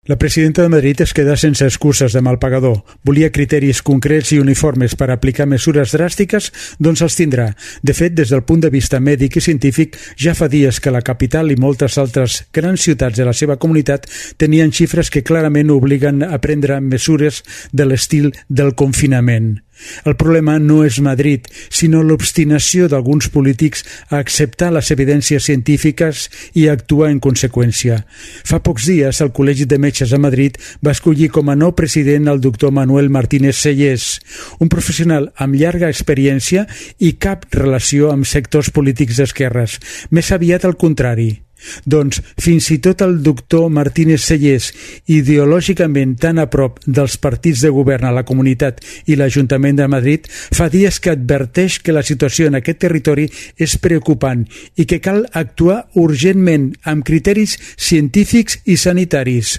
La presidenta de Madrid es queda sense excuses de mal pagador. Volia criteris concrets i uniformes per aplicar mesures dràstiques, doncs els tindrà. De fet, des del punt de vista mèdic i científic, ja fa dies que la capital i moltes altres grans ciutats de la seva comunitat tenien xifres que clarament obliguen a prendre mesures de l'estil del confinament. El problema no és Madrid, sinó l'obstinació d'alguns polítics a acceptar les evidències científiques i a actuar en conseqüència. Fa pocs dies, el Col·legi de Metges a Madrid va escollir com a nou president el doctor Manuel Martínez Sellés, un professional amb llarga experiència i cap relació amb sectors polítics d'esquerres, més aviat al contrari. Doncs fins i tot el doctor Martínez Sellés, ideològicament tan a prop dels partits de govern a la comunitat i l'Ajuntament de Madrid, fa dies que adverteix que la situació en aquest territori és preocupant i que cal actuar urgentment amb criteris científics i sanitaris.